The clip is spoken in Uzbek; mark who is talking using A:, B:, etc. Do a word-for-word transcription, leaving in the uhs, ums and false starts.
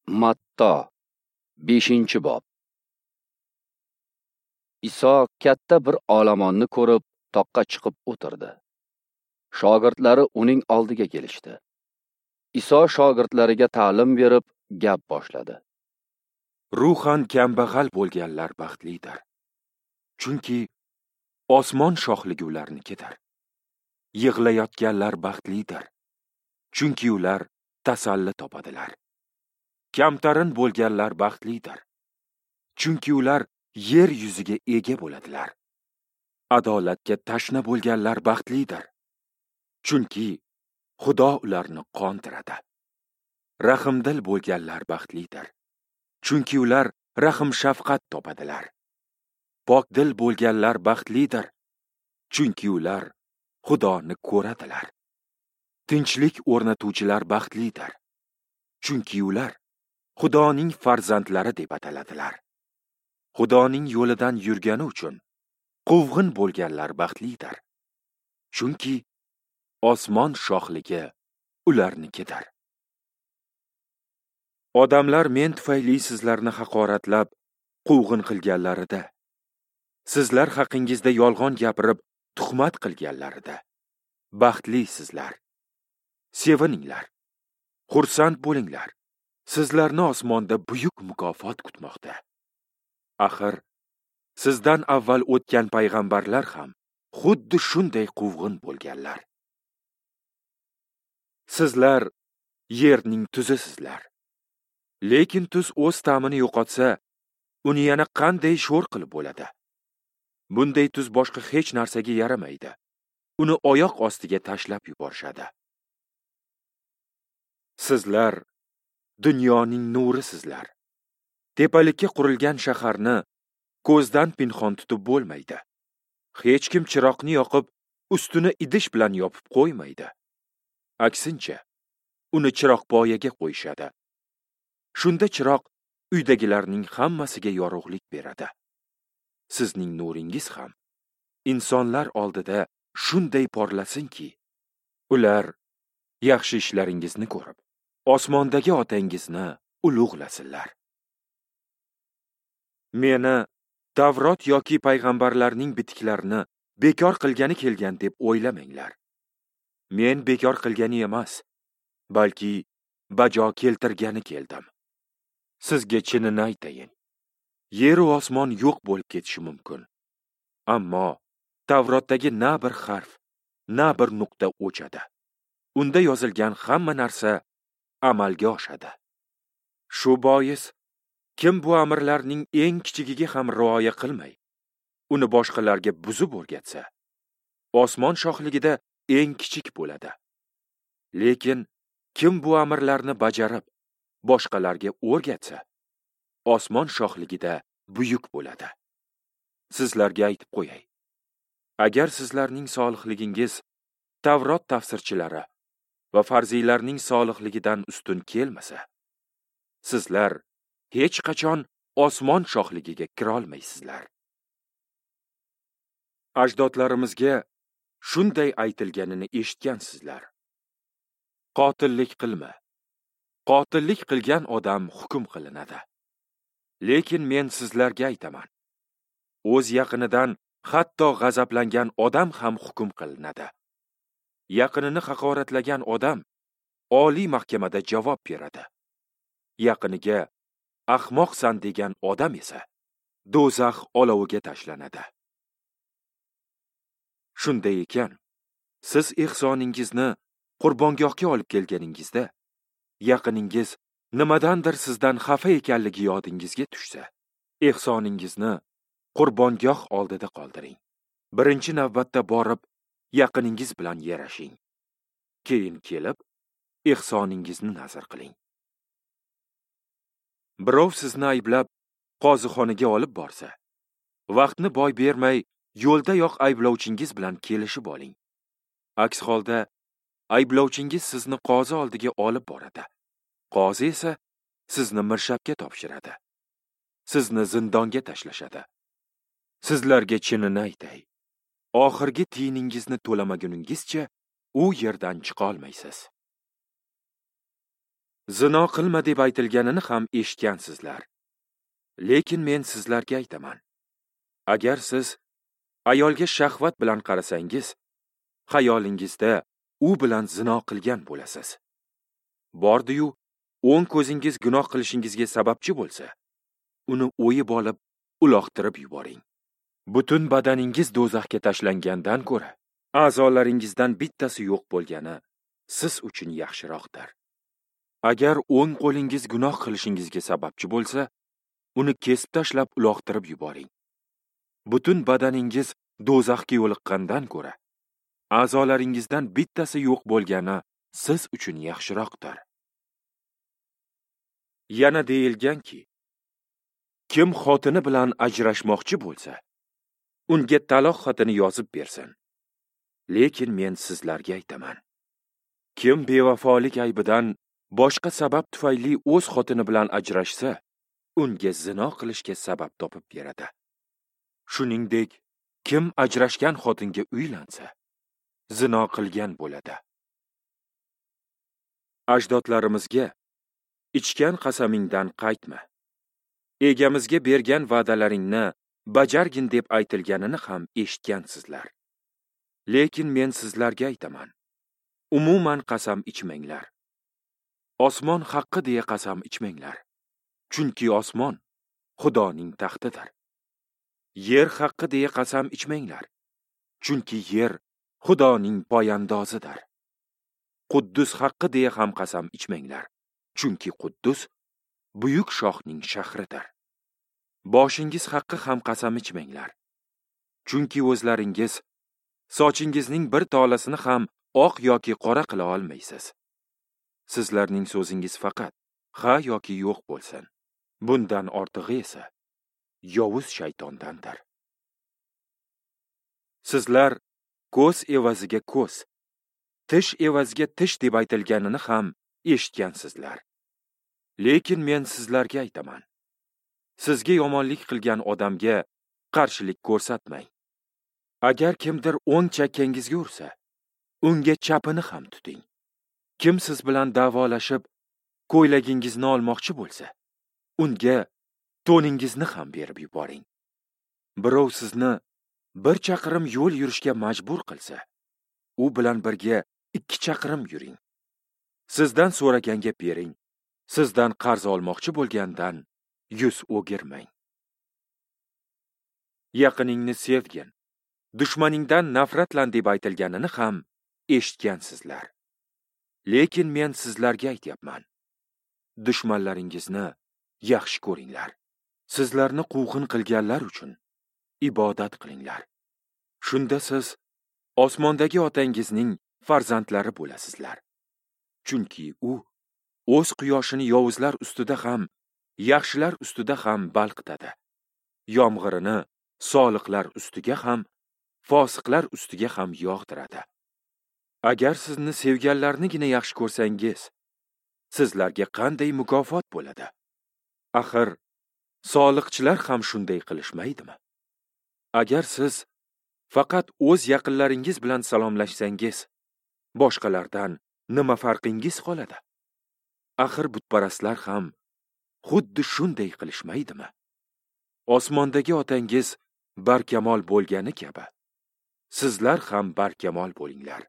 A: Matto, beshinchi bob. Iso katta bir olomonni ko'rib, toqqa chiqib o'tirdi. Shogirdlari uning oldiga kelishdi. Iso shogirdlariga ta'lim berib, gap boshladi.
B: Ruhan kambag'al bo'lganlar baxtlidir. Chunki osmon shohligi ularnikidir. Yig'layotganlar baxtlidir. Chunki ular tasalli topadilar. Kamtarin bo'lganlar baxtlidir. Chunki ular yer yuziga ega bo'ladilar. Adolatga tashna bo'lganlar baxtlidir. Chunki Xudo ularni qondiradi. Rahimdil bo'lganlar baxtlidir. Chunki ular rahim-shafqat topadilar. Pokdil bo'lganlar baxtlidir. Chunki ular Xudoni ko'radilar. Tinchlik o'rnatuvchilar baxtlidir. Chunki ular Xudoning farzandlari deb ataladilar. Xudoning yo'lidan yurgani uchun quvg'in bo'lganlar baxtlidir. Chunki osmon shohligi ularnikidir. Odamlar men tufayli sizlarni haqoratlab, quvg'in qilganlarida, sizlar haqingizda yolg'on gapirib, tuhmat qilganlarida baxtlisizlar. Sevininglar, xursand bo'linglar. Sizlarni osmonda buyuk mukofot kutmoqda. Axir, sizdan avval o'tgan payg'ambarlar ham xuddi shunday quvg'in bo'lganlar. Sizlar yerning tuzisizlar. Lekin tuz o'z ta'mini yo'qotsa, uni yana qanday sho'r qilib bo'ladi? Bunday tuz boshqa hech narsaga yaramaydi. Uni oyoq ostiga tashlab yuborishadi. Sizlar dunyoning nurisizlar. Tepalikka qurilgan shaharni ko'zdan pinhon tutib bo'lmaydi. Hech kim chiroqni yoqib, ustini idish bilan yopib qo'ymaydi. Aksincha, uni chiroqpoyaga qo'yishadi. Shunda chiroq uydagilarning hammasiga yorug'lik beradi. Sizning nuringiz ham insonlar oldida shunday porlasinki, ular yaxshi ishlaringizni ko'rib, osmondagi otangizni ulug'lasinlar. Meni Tavrot yoki payg'ambarlarning bitiklarini bekor qilgani kelgan deb o'ylamanglar. Men bekor qilgani emas, balki bajo keltirgani keldim. Sizga chinini aytayin. Yer va osmon yo'q bo'lib ketishi mumkin. Ammo Tavrotdagi na bir harf, na bir nuqta o'chadi. Unda yozilgan hamma narsa amalga oshadi. Shu bois kim bu amrlarning eng kichigiga ham rioya qilmay, uni boshqalarga buzib o'rgatsa, osmon shohligida eng kichik bo'ladi. Lekin kim bu amrlarni bajarib, boshqalarga o'rgatsa, osmon shohligida buyuk bo'ladi. Sizlarga aytib qo'yay. Agar sizlarning solihligingiz Tavrot tafsirchilari va farziylarning solihligidan ustun kelmasa, sizlar hech qachon osmon shohligiga kirolmaysizlar. Ajdodlarimizga shunday aytilganini eshitgansizlar. Qotillik qilma. Qotillik qilgan odam hukm qilinadi. Lekin men sizlarga aytaman. O'z yaqinidan hatto g'azablangan odam ham hukm qilinadi. Yaqinini haqoratlagan odam oliy mahkamada javob beradi. Yaqiniga ahmoqsan degan odam esa do'zax oloviga tashlanadi. Shunday ekan, siz ehsoningizni qurbongohga olib kelganingizda, yaqiningiz nimadandir sizdan xafa ekanligi yodingizga tushsa, ehsoningizni qurbongoh oldida qoldiring. Birinchi navbatda borib, yaqiningiz bilan yarashing. Keyin kelib, ehsoningizni nazr qiling. Birov sizni ayblab, qozixonaga olib borsa, vaqtni boy bermay, yo'ldayoq ayblovchingiz bilan kelishib oling. Aks holda ayblovchingiz sizni qozi oldiga olib boradi. Qozi esa sizni mirshabga topshiradi. Sizni zindonga tashlashadi. Sizlarga chinini aytay. Oxirgi tiyiningizni to'lamaguningizcha u yerdan chiqa olmaysiz. Zino qilma deb aytilganini ham eshitgansizlar. Lekin men sizlarga aytaman. Agar siz ayolga shahvat bilan qarasangiz, xayolingizda u bilan zino qilgan bo'lasiz. Bordi-yu, o'ng ko'zingiz gunoh qilishingizga sababchi bo'lsa, uni o'yib olib, uloqtirib yuboring. Butun badaningiz do'zaxga tashlangandan ko'ra, a'zolaringizdan bittasi yo'q bo'lgani siz uchun yaxshiroqdir. Agar o'ng qo'lingiz gunoh qilishingizga sababchi bo'lsa, uni kesib tashlab uloqtirib yuboring. Butun badaningiz do'zaxga yo'liqqandan ko'ra, a'zolaringizdan bittasi yo'q bo'lgani siz uchun yaxshiroqdir. Yana deyilganki, kim xotini bilan ajrashmoqchi bo'lsa, unga taloq xatini yozib bersin. Lekin men sizlarga aytaman. Kim bevafolik aybidan boshqa sabab tufayli o'z xotini bilan ajrashsa, unga zino qilishga sabab topib beradi. Shuningdek, kim ajrashgan xotinga uylansa, zino qilgan bo'ladi. Ajdodlarimizga ichgan qasamingdan qaytma, egamizga bergan va'dalaringni bajargin deb aytilganini ham eshitgansizlar. Lekin men sizlarga aytaman. Umuman qasam ichmanglar. Osmon haqqi deya qasam ichmanglar. Chunki osmon Xudoning taxtidir. Yer haqqi deya qasam ichmanglar. Chunki yer Xudoning poyandozidir. Quddus haqqi deya ham qasam ichmanglar. Chunki Quddus buyuk shohning shahridir. Boshingiz haqqi ham qasam ichmanglar. Chunki o'zlaringiz sochingizning bir tolasini ham oq yoki qora qila olmaysiz. Sizlarning so'zingiz faqat ha yoki yo'q bo'lsin. Bundan ortig'i esa yovuz shaytondandir. Sizlar ko'z evaziga ko'z, tish evaziga tish deb aytilganini ham eshitgansizlar. Lekin men sizlarga aytaman. Sizga yomonlik qilgan odamga qarshilik ko'rsatmang. Agar kimdir o'ng chakkangizga ursa, unga chapini ham tuting. Kim siz bilan da'volashib, ko'ylagingizni olmoqchi bo'lsa, unga to'ningizni ham berib yuboring. Birov sizni bir chaqirim yo'l yurishga majbur qilsa, u bilan birga ikki chaqirim yuring. Sizdan so'raganga bering, sizdan qarz olmoqchi bo'lgandan yuz o'girmang. Yaqiningni sevgin, dushmaningdan nafratlan deb aytilganini ham eshitgansizlar. Lekin men sizlarga aytyapman. Dushmanlaringizni yaxshi ko'ringlar. Sizlarni quvg'in qilganlar uchun ibodat qilinglar. Shunda siz osmondagi otangizning farzandlari bo'lasizlar. Chunki u o'z quyoshini yovuzlar ustida ham, yaxshilar ustida ham balqitadi. Yomg'irini soliqlar ustiga ham, fosiqlar ustiga ham yog'diradi. Agar sizni sevganlarnigina yaxshi ko'rsangiz, sizlarga qanday mukofot bo'ladi? Axir soliqchilar ham shunday qilishmaydimi? Agar siz faqat o'z yaqinlaringiz bilan salomlashsangiz, boshqalardan nima farqingiz qoladi? Axir butparastlar ham xuddi shunday qilishmaydimi? Osmondagi otangiz barkamol bo'lgani kabi, sizlar ham barkamol bo'linglar.